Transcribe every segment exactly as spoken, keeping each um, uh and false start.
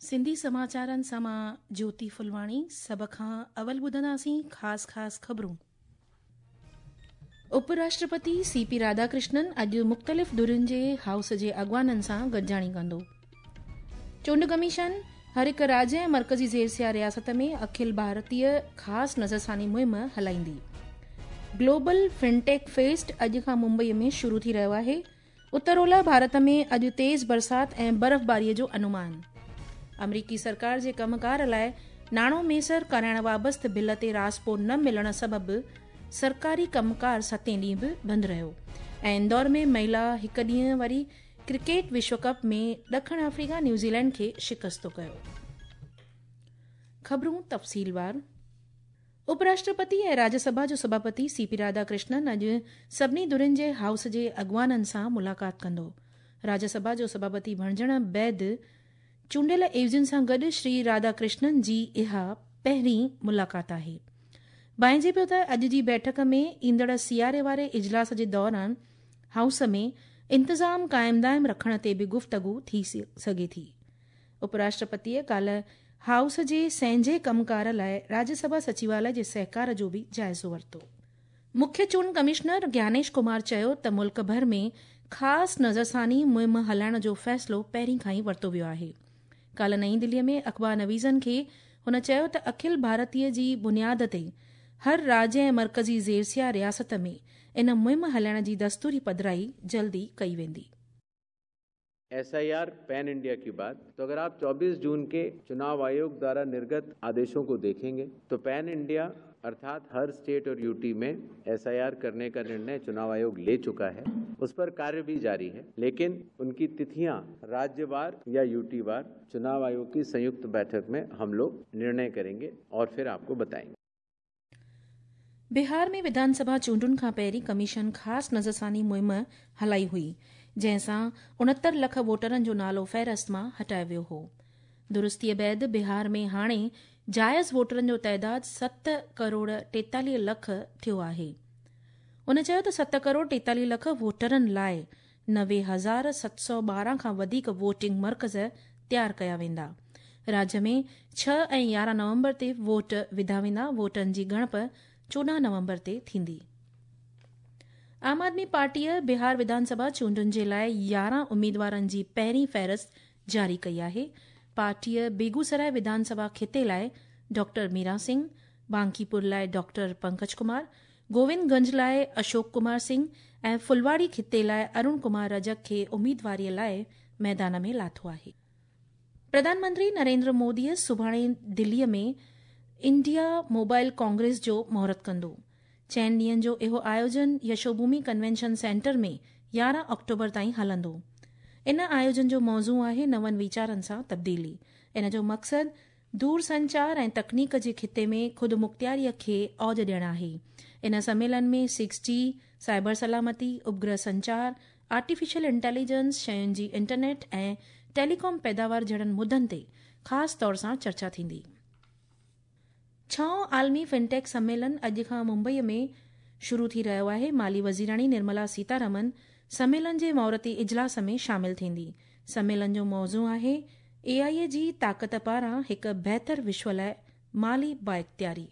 सिंधी समाचारनि सां मां ज्योति फुलवाणी। सभ खां अवल ॿुधंदासीं ख़ासि ख़ासि ख़बरूं। उपराष्ट्रपति सी पी राधाकृष्णन अॼु मुख़्तलिफ़ धुरियुनि जे हाउस जे अॻवाननि सां गॾिजाणी कंदो। चूंड कमीशन हर हिकु राज्य ऐं मर्कज़ी ज़ेरसिया रियासत में अखिल भारतीय ख़ासि नज़रसानी मुहिम हलाईंदी। ग्लोबल फिनटेक फेस्ट अॼु खां मुंबईअ में शुरू थी रहियो आहे। उत्तर ओलह भारत में अॼु तेज़ बरसाति ऐं बर्फ़बारीअ जो अनुमान। अमरीकी सरकार जे कमकार लाइ नाणो मैसर कराइण वाबस्त बिल ते राज़पो न मिलण सबबि सरकारी कमकार सतें ॾींहुं बि बंदि रहियो। ऐं इंदौर में महिला हिकु ॾींहं वारी क्रिकेट विश्व कप में ॾखिण अफ्रीका न्यूज़ीलैंड खे शिकस्तो कयो। ख़बरूं तफ़सीलवार। उपराष्ट्रपति ऐं राज्यसभा जो सभापति सी पी राधाकृष्णन अॼु सभिनी धुरियुनि जे हाउस जे अॻवाननि सां मुलाक़ात कंदो। राज्यसभा जो सभापति बणिजण बैदि चूंडियल एवज़ियुनि सां गॾु श्री राधाकृष्णन जी इहा पहिरीं मुलाक़ात आहे। भांइजे पियो त अॼु जी बैठक में ईंदड़ सियारे वारे इजलास जे दौरान हाउस में इंतज़ाम क़ाइम दाइम रखण ते बि गुफ़्तगू थी सघे थी। उपराष्ट्रपतीअ काल्ह हाउस जे संहिंजे कमकार लाइ राज्यसभा सचिवालय जे सहकार जो बि जाइज़ो वरितो। मुख्य चूंड कमिश्नर ज्ञानेश कुमार चयो त मुल्क भर में ख़ासि नज़रसानी मुहिम हलाइण जो फ़ैसिलो पहिरीं खां ई वरितो वियो आहे। काल्ह नई दिल्लीअ में अख़बार नवीज़नि खे हुन चयो त अखिल भारतीय जी बुनियाद ते हर राज्य ऐं मर्कज़ी ज़ेरसिया रियासत में इन मुहिम हलाइण जी दस्तूरी पधराई जल्दी कई वेंदी। S I R pan India की बात तो अगर आप चौबीस जून के चुनाव आयोग द्वारा निर्गत आदेशों को देखेंगे तो पैन इंडिया अर्थात हर स्टेट और यूटी में एस I R करने का निर्णय चुनाव आयोग ले चुका है, उस पर कार्य भी जारी है, लेकिन उनकी तिथियां राज्यवार या यूटीवार चुनाव आयोग की संयुक्त बैठक में हम लोग निर्णय करेंगे और फिर आपको बताएंगे। बिहार में विधानसभा चूंडुनि खां पहिरीं कमीशन ख़ासि नज़रसानी मुहिम हलाई हुई, जंहिंसां उणहतरि लख वोटरनि जो नालो फ़हरिस्त मां हटायो वियो हो। दुरुस्तीअ बैदि बिहार में हाणे जायज़ वोटरनि जो ताइदाद सत करोड़ टेतालीह लख थियो आहे। उन चयो त सत करोड़ टेतालीह लख वोटरनि लाइ नवे हज़ार सत सौ ॿारहं खां वधीक वोटिंग मर्कज़ तयारु कया वेंदा। राज्य में छह ऐं यारहं नवंबर ते वोट विधा वेंदा। वोटनि जी ॻणप चोॾहं नवंबर ते थींदी। आम आदमी पार्टीअ बिहार विधानसभा चूंडुनि जे लाइ यारहं उमेदवारनि जी पहिरीं फ़हरिस्त जारी कई आहे। पार्टीअ बेगूसराय विधानसभा खिते लाइ डॉक्टर मीरा सिंह, बांकीपुर लाइ डॉक्टर पंकज कुमार, गोविंदगंज लाइ अशोक कुमार सिंह ऐं फुलवाड़ी खिते लाइ अरुण कुमार रजक खे उमेदवारीअ लाइ मैदान में लाथो आहे। प्रधानमंत्री नरेंद्र मोदीअ सुभाणे दिल्लीअ में इंडिया मोबाइल कांग्रेस जो मुहूर्त कंदो। चइनि ॾींहंनि जो इहो आयोजन यशोभूमि कन्वेंशन सेंटर में यारहं अक्टूबर ताईं हलंदो। इन आयोजन जो मौज़ू आहे नवनि वीचारनि सां तब्दीली। इन जो मक़सदु दूरसंचार ऐं तकनीक जे खिते में ख़ुदि मुख़्तियारीअ खे औज ॾियणु आहे। इन सम्मेलन में सिक्स जी, साइबर सलामती, उपग्रह संचार, आर्टिफिशियल इंटेलिजेंस, शयुनि जी इंटरनेट ऐं टेलीकॉम पैदावार जहिड़नि मुद्दनि ते ख़ासि तौर सां चर्चा थींदी। छहों आलमी फिनटेक सम्मेलन अॼु खां मुंबईअ में शुरू थी रहियो आहे। माली वज़ीराणी निर्मला सीतारमन सम्मेलन जे मुहूर्ती इजलास में शामिल थींदी। सम्मेलन जो मौज़ू आहे ए आई जी ताक़त पारां हिकु बहितर विश्व लाइ माली बाइख़्तियारी।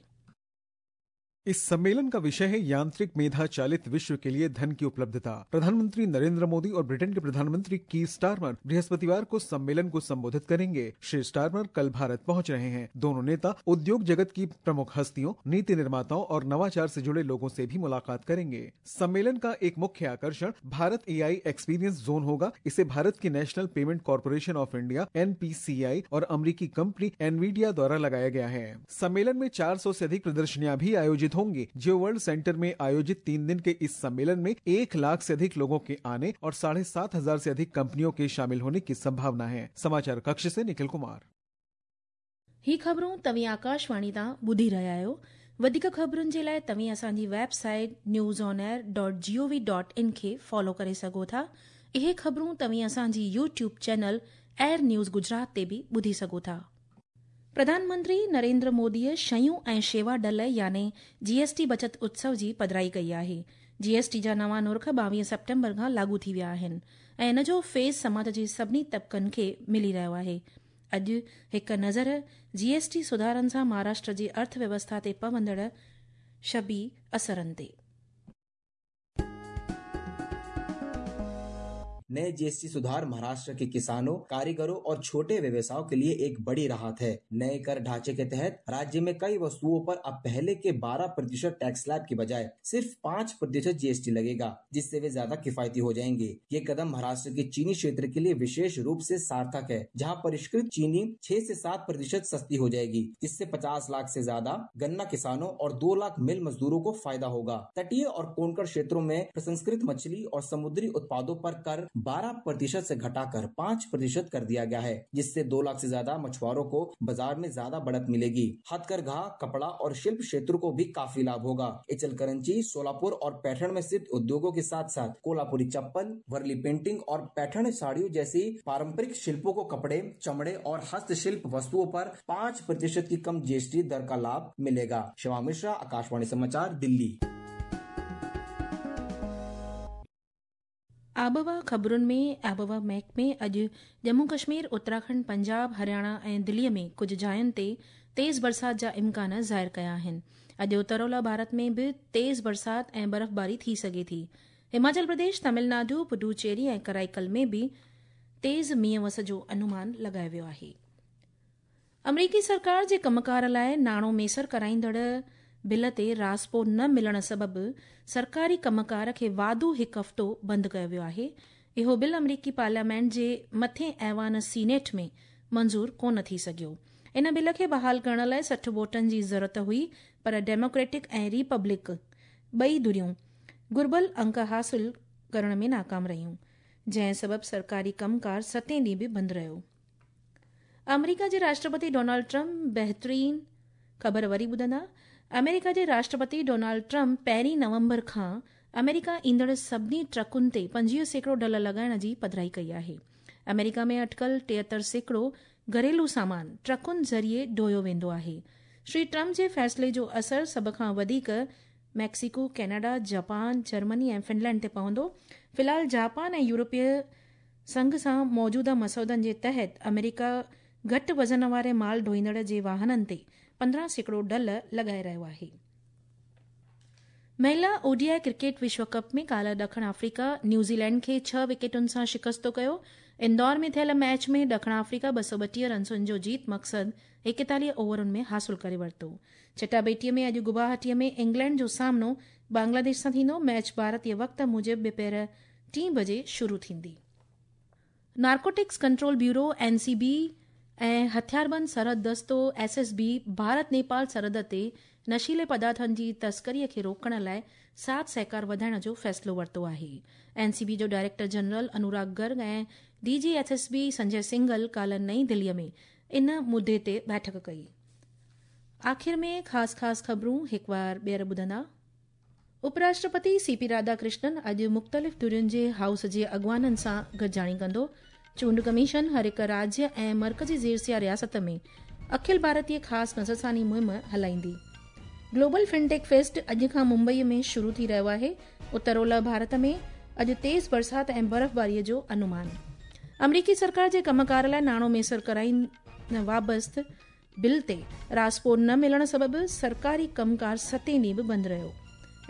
इस सम्मेलन का विषय है यांत्रिक मेधा चालित विश्व के लिए धन की उपलब्धता। प्रधानमंत्री नरेंद्र मोदी और ब्रिटेन के प्रधानमंत्री कीर स्टारमर बृहस्पतिवार को सम्मेलन को संबोधित करेंगे। श्री स्टारमर कल भारत पहुंच रहे हैं। दोनों नेता उद्योग जगत की प्रमुख हस्तियों, नीति निर्माताओं और नवाचार से जुड़े लोगों से भी मुलाकात करेंगे। सम्मेलन का एक मुख्य आकर्षण भारत ए आई एक्सपीरियंस जोन होगा। इसे भारत की National Payment Corporation of India N P C I और अमरीकी कंपनी एनवीडिया द्वारा लगाया गया है। सम्मेलन में चार सौ से अधिक प्रदर्शनियाँ भी आयोजित होंगे। जियो वर्ल्ड सेंटर में आयोजित तीन दिन के इस सम्मेलन में एक लाख से अधिक लोगों के आने और साढ़े सात हजार से अधिक कंपनियों के शामिल होने की संभावना है। समाचार कक्ष से निखिल कुमार। ही ख़बरूं तव्हीं आकाशवाणी तां ॿुधी रहिया आहियो। वधीक ख़बरुनि जे लाइ तव्हीं असांजी website news on air dot G O V dot in खे फॉलो करे सघो था। इहे ख़बरूं तव्हीं असांजी YouTube channel Air News Gujarat ते बि ॿुधी सघो था। प्रधानमंत्री नरेंद्र मोदीअ शयूं ऐं शेवा डल यानी जीएसटी बचत उत्सव जी पधराई कई आहे। जीएसटी जा नवां नुर्ख ॿावीह सेप्टेम्बर खां लागू थी विया आहिनि ऐं इन जो फ़ेज़ समाज जे सभिनी तबिकनि खे मिली रहियो आहे। अॼु हिकु नज़र जीएसटी सुधारनि सां महाराष्ट्र जी अर्थव्यवस्था ते पवंदड़ शबी असरनि ते। नए जीएसटी सुधार महाराष्ट्र के किसानों, कारीगरों और छोटे व्यवसायों के लिए एक बड़ी राहत है। नए कर ढांचे के तहत राज्य में कई वस्तुओं पर अब पहले के बारह प्रतिशत टैक्स स्लैब की बजाय सिर्फ पाँच प्रतिशत जीएसटी लगेगा, जिससे वे ज्यादा किफायती हो जाएंगे। ये कदम महाराष्ट्र के चीनी क्षेत्र के लिए विशेष रूप से सार्थक है, जहाँ परिष्कृत चीनी छह से सात प्रतिशत सस्ती हो जाएगी, जिससे पचास लाख से ज्यादा गन्ना किसानों और दो लाख मिल मजदूरों को फायदा होगा। तटीय और कोंकण क्षेत्रों में प्रसंस्कृत मछली और समुद्री उत्पादों पर कर बारह प्रतिशत से घटाकर पाँच प्रतिशत कर दिया गया है, जिससे दो लाख से ज्यादा मछुआरों को बाजार में ज्यादा बढ़त मिलेगी। हथकरघा, कपड़ा और शिल्प क्षेत्र को भी काफी लाभ होगा। इचलकरंजी, सोलापुर और पैठण में स्थित उद्योगों के साथ साथ कोल्हापुरी चप्पल, वर्ली पेंटिंग और पैठण साड़ियों जैसी पारंपरिक शिल्पों को कपड़े, चमड़े और हस्तशिल्प वस्तुओं पर पाँच प्रतिशत की कम जीएसटी दर का लाभ मिलेगा। शिवा मिश्रा, आकाशवाणी समाचार, दिल्ली। आबहवा ख़बरुनि में आबहवा महकमे अॼु जम्मू कश्मीर, उत्तराखंड, पंजाब, हरियाणा ऐं दिल्लीअ में कुझु जायुनि ते तेज़ बरसात जा इम्कान ज़ाहिर कया आहिनि। अॼु उत्तर ओलह भारत में बि तेज़ बरसात ऐं बर्फ़बारी थी सघे थी। हिमाचल प्रदेश, तमिलनाडु, पुडुचेरी ऐं कराईकल में बि तेज़ मींहं वस जो अनुमान लॻायो वियो आहे। अमरीकी सरकार जे कमकार लाइ नाणो मेसर कराईंदड़ बिल ते राज़पो न मिलण सबबि सरकारी कमकार खे वाधू हिकु हफ़्तो बंदि कयो वियो आहे। इहो बिल अमरीकी पार्लियामेंट जे मथे ऐवान सीनेट में मंज़ूर कोन थी सघियो। इन बिल खे बहाल करण लाइ सठि वोटनि जी ज़रूरत हुई, पर डेमोक्रेटिक ऐं रिपब्लिक ॿई धुरियूं घुर्बल अंक हासिल करण में नाकाम रहियूं, जंहिं सबबि सरकारी कमकार सतें ॾींहुं बि बंदि रहियो। अमरीका जे राष्ट्रपति डोनाल्ड ट्रंप बहितरीन ख़बर वरी ॿुधंदा। अमेरिका जे राष्ट्रपति डोनाल्ड ट्रंप पहिरीं नवंबर खां अमेरिका ईंदड़ सभिनी ट्रकुनि ते पंजवीह सैकड़ो ढल लॻाइण जी पधराई कई आहे। अमेरिका में अटकल टेहतरि सैकड़ो घरेलू सामान ट्रकुनि ज़रिए ढोयो वेंदो आहे। श्री ट्रंप जे फ़ैसिले जो असर सभ खां वधीक मैक्सिको, कनाडा, जापान, जर्मनी ऐं फिनलैंड ते पवंदो। फ़िलहाल जापान ऐं यूरोपीय संघ सां मौजूदा मसौदनि जे तहत अमेरिका घटि वज़न वारे माल ढोईंदड़ जे वाहननि ते पंद्रहं सैकड़ो ढल लॻाए रहियो आहे। महिला ओडीआई क्रिकेट विश्व कप में काल्ह ॾखिण अफ्रीका न्यूज़ीलैंड खे छह विकेटुनि सां शिकस्तो कयो। इंदौर में थियल मैच में ॾखिण अफ्रीका ॿ सौ ॿटीह रनसुनि जो जीत मक़सदु एकतालीह ओवरुनि में हासिल करे वरितो। चटाबेटीअ में अॼु गुवाहाटीअ में इंग्लैंड जो सामनो बांग्लादेश सां थींदो। मैच भारतीय वक़्त मूजिबि ॿिपहर टीं बजे शुरू थींदी। नार्कोटिक्स कंट्रोल ब्यूरो एनसीबी ऐं हथियारबंद सरहद दस्तो एसएसबी भारत नेपाल सरहद ते नशीले पदार्थनि जी तस्करीअ खे रोकण लाइ साथ सहकार वधाइण जो फ़ैसिलो वरितो आहे। एनसीबी जो डायरेक्टर जनरल अनुराग गर्ग ऐं डीजी एसएसबी संजय सिंघल काल्ह नई दिल्लीअ में इन मुद्दे ते बैठक कई। आख़िर में ख़ासि ख़ासि ख़बरूं हिकु बार ॿीहर ॿुधंदा। उपराष्ट्रपति सीपी राधाकृष्णन अॼु मुख़्तलिफ़ धुरियुनि जे हाउस जे अॻुवाननि सां गॾिजाणी कंदो। चूंड कमीशन हर हिकु राज्य ऐं मर्कज़ी ज़ेरसिया रियासत में अखिल भारतीय ख़ासि नज़रसानी मुहिम हलाईंदी। ग्लोबल फिनटेक फेस्ट अॼु खां मुंबईअ में शुरू थी रहियो आहे। उत्तर ओलह भारत में अॼु तेज़ बरसात ऐं बर्फ़बारीअ जो अनुमान। अमरीकी सरकार जे कमकार लाइ नाणो मेसर कराइण वाबस्त बिल ते राज़पो न मिलण सबबि सरकारी कमकार सतें ॾींहुं बि बंदि रहियो।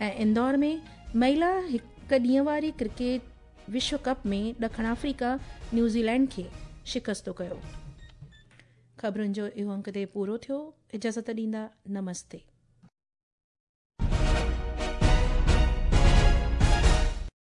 ऐं इंदौर में महिला हिकु ॾींहं वारी क्रिकेट विश्व कप में ॾखिण अफ्रीका न्यूज़ीलैंड खे शिकस्तो कयो। ख़बरुनि जो इहो अंक ते पूरो थियो। इजाज़त ॾींदा, नमस्ते।